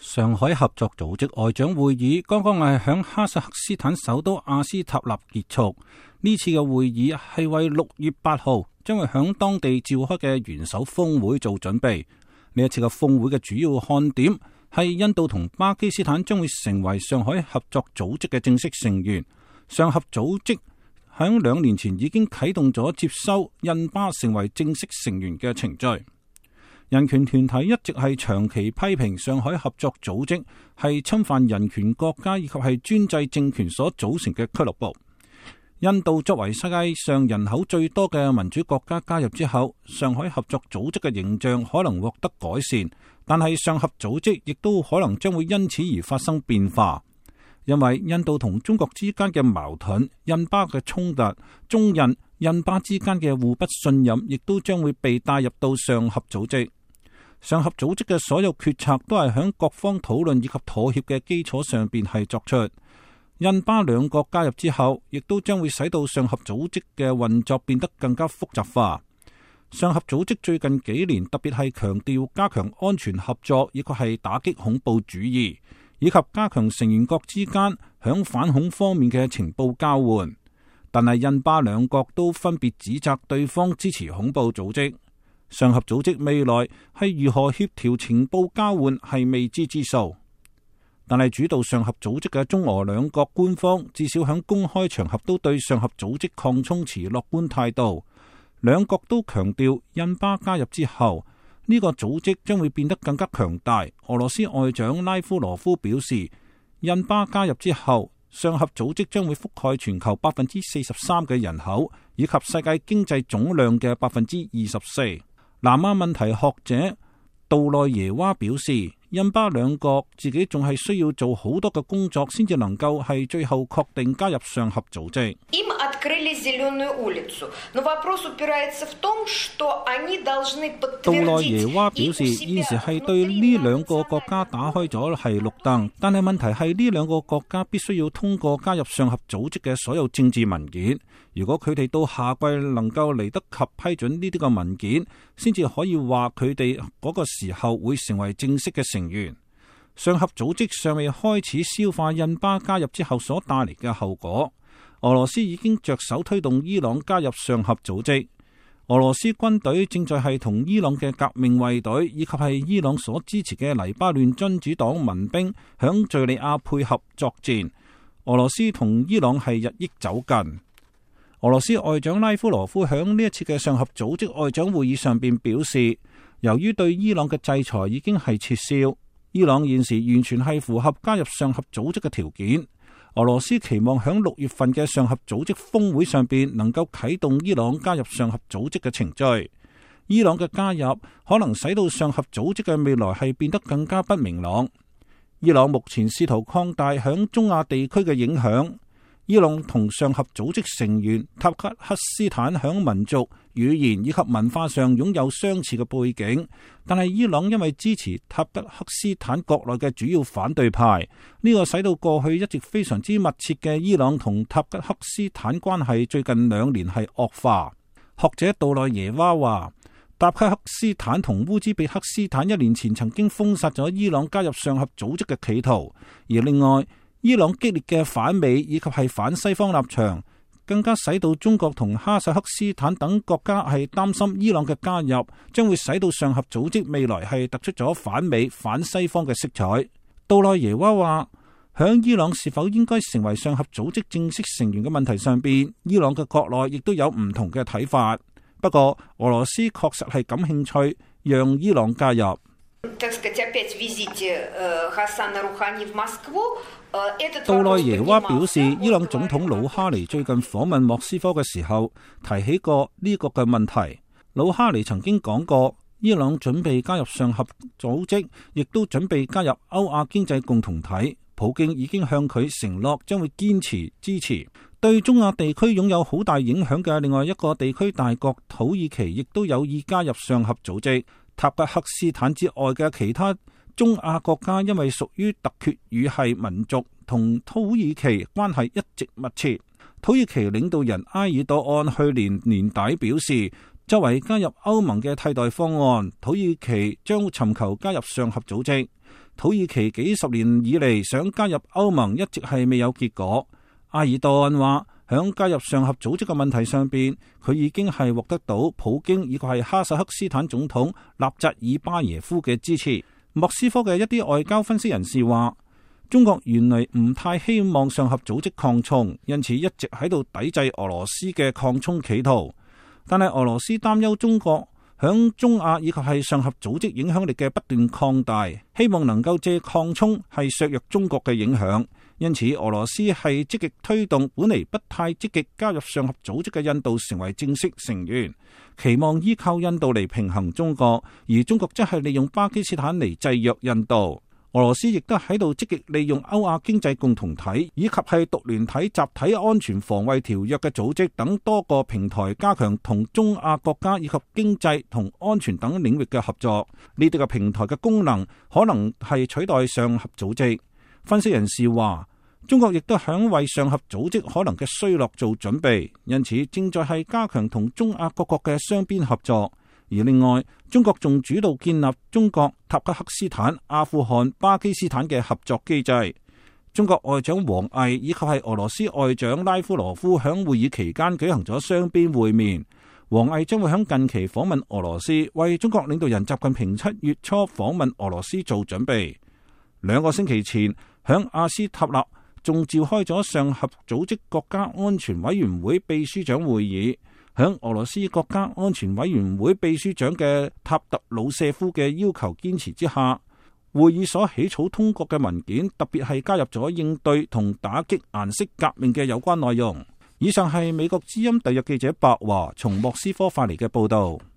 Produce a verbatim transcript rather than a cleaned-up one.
上海合作組織外長會議剛剛係響哈薩克斯坦首都阿斯塔納結束。呢次嘅會議係為六月八號將會響當地召開嘅元首峰會做準備。呢一次嘅峰會嘅主要看點係印度同巴基斯坦將會成為上海合作組織嘅正式成員。上合組織響兩年前已經啟動咗接收印巴成為正式成員嘅程序。人權團體一直係長期批評上海合作組織係侵犯人權國家以及係專制政權所組成嘅俱樂部。印度作為世界上人口最多嘅民主國家加入之後，上海合作組織嘅形象可能獲得改善，但係上合組織亦都可能將會因此而發生變化，因為印度同中國之間嘅矛盾、印巴嘅衝突、中印、印巴之間嘅互不信任，亦都將會被帶入到上合組織。上合組織嘅所有決策都係響各方討論以及妥協嘅基礎上邊係作出。印巴兩國加入之後，亦都將會使到上合組織嘅運作變得更加複雜化。上合組織最近幾年特別係強調加強安全合作，以及係打擊恐怖主義，以及加強成員國之間響反恐方面嘅情報交換。但係印巴兩國都分別指責對方支持恐怖組織。上合組織未來係如何協調情報交換係未知之數，但係主導上合組織嘅中俄兩國官方至少喺公開場合都對上合組織擴充持樂觀態度。兩國都強調印巴加入之後，呢個組織將會變得更加強大。俄羅斯外長拉夫羅夫表示，印巴加入之後，上合組織將會覆蓋全球百分之四十三嘅人口，以及世界經濟總量嘅百分之二十四。南亞問題學者杜內耶娃表示，印巴兩國自己仲係需要做好多嘅工作，先至能夠係最後確定加入上合組織。杜內耶娃表示，現時係對呢兩個國家打開咗係綠燈，但係問題係呢兩個國家必須要通過加入上合組織嘅所有政治文件。如果佢哋到夏季能夠嚟得及批准呢啲個文件，先至可以話佢哋嗰個時候會成為正式嘅成員。上合組織尚未開始消化印巴加入之後所帶嚟嘅後果。俄羅斯已經着手推動伊朗加入上合組織。俄羅斯軍隊正在係同伊朗嘅革命衛隊以及係伊朗所支持嘅黎巴嫩真主黨民兵響敘利亞配合作戰。俄羅斯同伊朗係日益走近。俄羅斯外長拉夫羅夫響呢一次嘅上合組織外長會議上邊表示，由於對伊朗嘅制裁已經係撤銷，伊朗現時完全係符合加入上合組織嘅條件。俄羅斯期望響六月份嘅上合組織峰會上邊能夠啟動伊朗加入上合組織嘅程序。伊朗嘅加入可能使到上合組織嘅未來係變得更加不明朗。伊朗目前試圖擴大響中亞地區嘅影響。伊朗同上合組織成員塔吉克斯坦響民族、語言以及文化上擁有相似嘅背景，但係伊朗因為支持塔吉克斯坦國內嘅主要反對派，呢個使到過去一直非常之密切嘅伊朗同塔吉克斯坦關係最近兩年係惡化。學者杜內耶娃話，塔吉克斯坦同烏茲別克斯坦一年前曾經封殺咗伊朗加入上合組織嘅企圖，而另外伊朗激烈嘅反美以及係反西方立場，更加使到中國同哈薩克斯坦等國家係擔心伊朗嘅加入將會使到上合組織未來係突出咗反美反西方嘅色彩。杜內耶娃話，響伊朗是否應該成為上合組織正式成員嘅問題上邊，伊朗嘅國內亦都有唔同嘅睇法。不過俄羅斯確實係感興趣讓伊朗加入。杜內耶娃表示，伊朗總統魯哈尼最近訪問莫斯科嘅時候提起過呢個嘅問題。魯哈尼曾經講過，伊朗準備加入上合組織，亦都準備加入歐亞經濟共同體。普京已經向佢承諾將會堅持支持。對中亞地區擁有好大影響嘅另外一個地區大國土耳其，亦都有意加入上合組織。塔吉克斯坦之外嘅其他中亞國家，因為屬於突厥語系民族，同土耳其關係一直密切。土耳其領導人埃爾多安去年年底表示，作為加入歐盟嘅替代方案，土耳其將尋求加入上合組織。土耳其幾十年以嚟想加入歐盟一直係未有結果。埃爾多安話，響加入上合組織嘅問題上邊，佢已經係獲得到普京以及係哈薩克斯坦總統納扎爾巴耶夫嘅支持。莫斯科嘅一啲外交分析人士話，中國原嚟唔太希望上合組織擴充，因此一直喺度抵制俄羅斯嘅擴充企圖。但係俄羅斯擔憂中國響中亞以及係上合組織影響力嘅不斷擴大，希望能夠借擴充係削弱中國嘅影響。因此，俄羅斯係積極推動本嚟不太積極加入上合組織嘅印度成為正式成員，期望依靠印度嚟平衡中國，而中國則係利用巴基斯坦嚟制約印度。俄羅斯亦都喺度積極利用歐亞經濟共同體以及係獨聯體集體安全防衛條約嘅組織等多個平台，加強同中亞國家以及經濟同安全等領域嘅合作。呢啲嘅平台嘅功能可能係取代上合組織。分析人士話，中國亦都響為上合組織可能嘅衰落做準備，因此正在係加強同中亞各國嘅雙邊合作。而另外，中國仲主導建立中國、塔吉克斯坦、阿富汗、巴基斯坦嘅合作機制。中國外長王毅以及係俄羅斯外長拉夫羅夫響會議期間舉行咗雙邊會面。王毅將會響近期訪問俄羅斯，為中國領導人習近平七月初訪問俄羅斯做準備。兩個星期前，響阿斯塔納仲召開咗上合組織國家安全委員會秘書長會議。響俄羅斯國家安全委員會秘書長嘅塔特魯舍夫嘅要求堅持之下，會議所起草通過嘅文件，特別係加入咗應對同打擊顏色革命嘅有關內容。以上係美國之音特約記者白華從莫斯科發嚟嘅報道。